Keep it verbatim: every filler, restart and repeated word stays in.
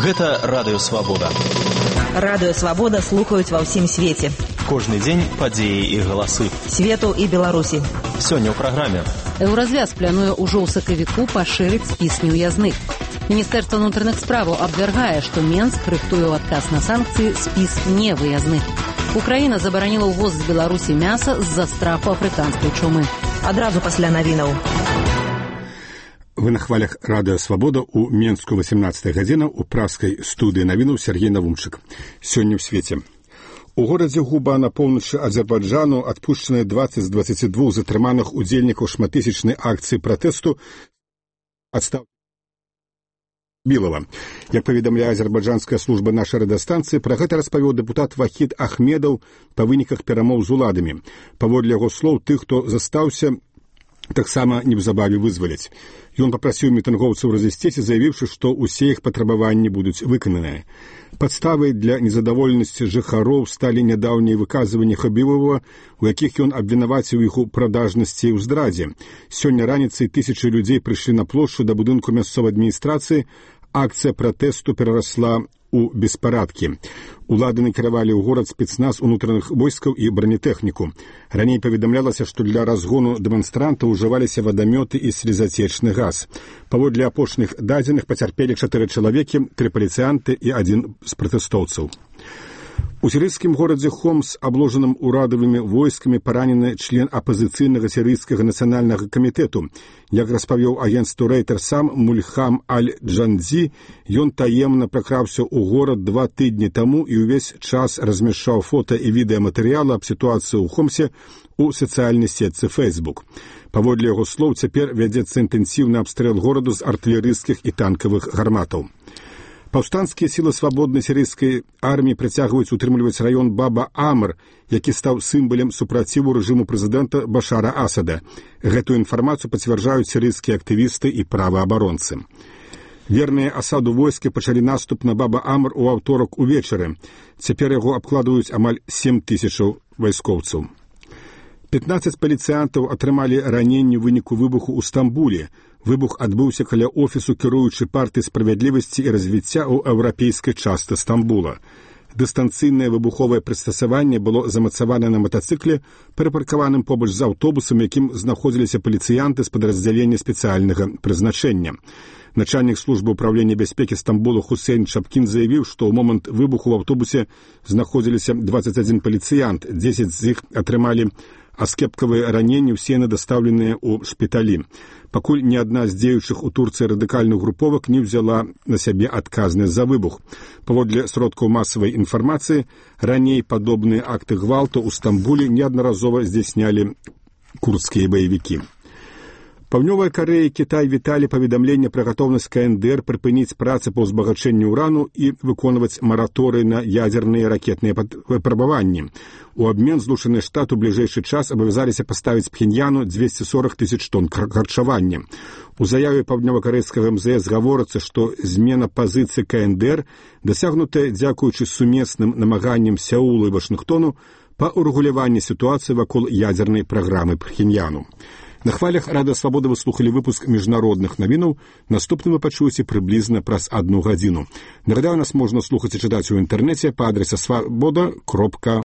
Гэта Радыё Свабода. Радыё Свабода слухаюць ва ўсім свеце. Кожны дзень падзеі і галасы. Свету і Беларусі. Сёння ў праграме. Еўразвяз плануе ўжо ў сакавіку пашырыць спіс неўязных. Міністэрства ўнутраных справаў абвяргае, што Менск рыхтуе ў адказ на санкцыі спіс невыязных. Украіна забараніла ўвоз з Беларусі мяса з-за страху афрыканскай чумы. Адразу пасля навінаў. Вы на хвалях Радыё Свабода ў Менску восемнадцатая гадзіна ў праскай студыі навінаў Сергей Навумчык. Сёння ў свеце. У горадзе Губа на поўначы Азербайджану адпушчаныя дваццаць з дваццаці двух затрыманых удзельнікаў шматтысячнай акцыі пратэсту адстаў Білава. Як паведамляе азербайджанская служба нашай радыёстанцыі, пра гэта распавёў дэпутат Вахід Ахмедаў па выніках перамоў з уладамі. Паводле яго слоў, тых, хто застаўся, таксама неўзабаве вызваляць. Ён папрасіў мітынгоўцаў разысціць, заявіўшы, што ўсе іх патрабаванні будуць выкананыя. Падставай для незадаволенасці жыхароў сталі нядаўнія выказванні Хабібова, у якіх ён абвінаваціў іх у прадажнасці і ў здрадзе. Сёння раніцай тысячы людзей прыйшлі на плошчу да будынку мясцовай адміністрацыі. Акцыя пратэсту перарасла у беспарадкі. Улады накіравалі ў горад спецназ унутраных войскаў і бронетэхніку. Раней паведамлялася, што для разгону дэманстрантаў ужываліся вадамёты і слезацечны газ. Паводле апошніх дадзеных пацярпелі чатыры чалавекі, тры паліцыянты і адзін з пратэстоўцаў. У сірыйскім горадзе Хомс, абложаным урадавымі войскамі, паранены член апазіцыйнага сірыйскага нацыянальнага камітэту. Як распавёў агенцтву Рэйтер сам Мульхам Аль-Джандзі, ён таемна пракраўся ў горад два тыдні таму і ўвесь час размяшчаў фота і відэаматэрыялы аб сітуацыі ў Хомсе у сацыяльнай сетцы Facebook. Паводле яго слоў, цяпер вядзецца інтэнсіўны абстрэл гораду з артылерыйскіх і танкавых гарматаў. Паўстанцкія сілы свабоднай сірыйскай арміі працягваюць утрымліваць раён Баба-Амр, які стаў сімвалам супраціву рэжыму прэзідэнта Башара Асада. Гэтую інфармацыю пацвярджаюць сірыйскія актывісты і праваабаронцы. Верныя Асаду войскі пачалі наступ на Баба-Амр у аўторак увечары. Цяпер яго абкладаюць амаль сем тысячаў вайскоўцаў. пятнаццаць паліцыянтаў атрымалі раненні ў выніку выбуху ў Стамбуле. Выбух адбыўся каля офісу кіруючай партыі справядлівасці і развіцця ў еўрапейскай частцы Стамбула. Дыстанцыйнае выбуховае прыстасаванне было замацавана на матацыкле, перапаркаваным побач з аўтобусам, якім знаходзіліся паліцыянты з падраздзялення спецыяльнага прызначэння. Начальнік службы ўправлення бяспекі Стамбула Хусейн Чапкін заявіў, што ў момант выбуху ў аўтобусе знаходзіліся дваццаць адзін паліцыянт, дзесяць з іх атрымалі аскепкавыя раненні, усе яны дастаўленыя ў шпіталі. Пакуль ні адна з дзеючых у Турцыі радыкальных груповак не ўзяла на сябе адказнасць за выбух. Паводле сродкаў масавай інфармацыі, раней падобныя акты гвалту ў Стамбуле неаднаразова здзяйснялі курдскія баевікі. Паўднёвая Карэя і Кітай віталі паведамленне пра гатоўнасць ка эн дэ эр прыпыніць працы па ўзбагачэнню ўрану і выконваць мараторый на ядзерныя ракетныя выпрабаванні. У абмен Злучаныя Штаты ў бліжэйшы час абавязаліся паставіць Пхеньяну дзвесце сорак тысяч тонн харчавання. У заяве паўднёва-карэйскага эм зэ эс гаворыцца, што змена пазіцыі ка эн дэ эр дасягнутая дзякуючы сумесным намаганням Сеула і Вашынгтону па ўрэгуляванні сітуацыі вакол ядзернай праграмы Пхеньяну. На хвалях Радыё Свабода вы слухалі выпуск міжнародных навінаў. Наступны вы пачуеце прыблізна праз адну гадзіну. Нагадаю, нас можна слухаць і чытаць у інтэрнэце па адрасе свабода кропка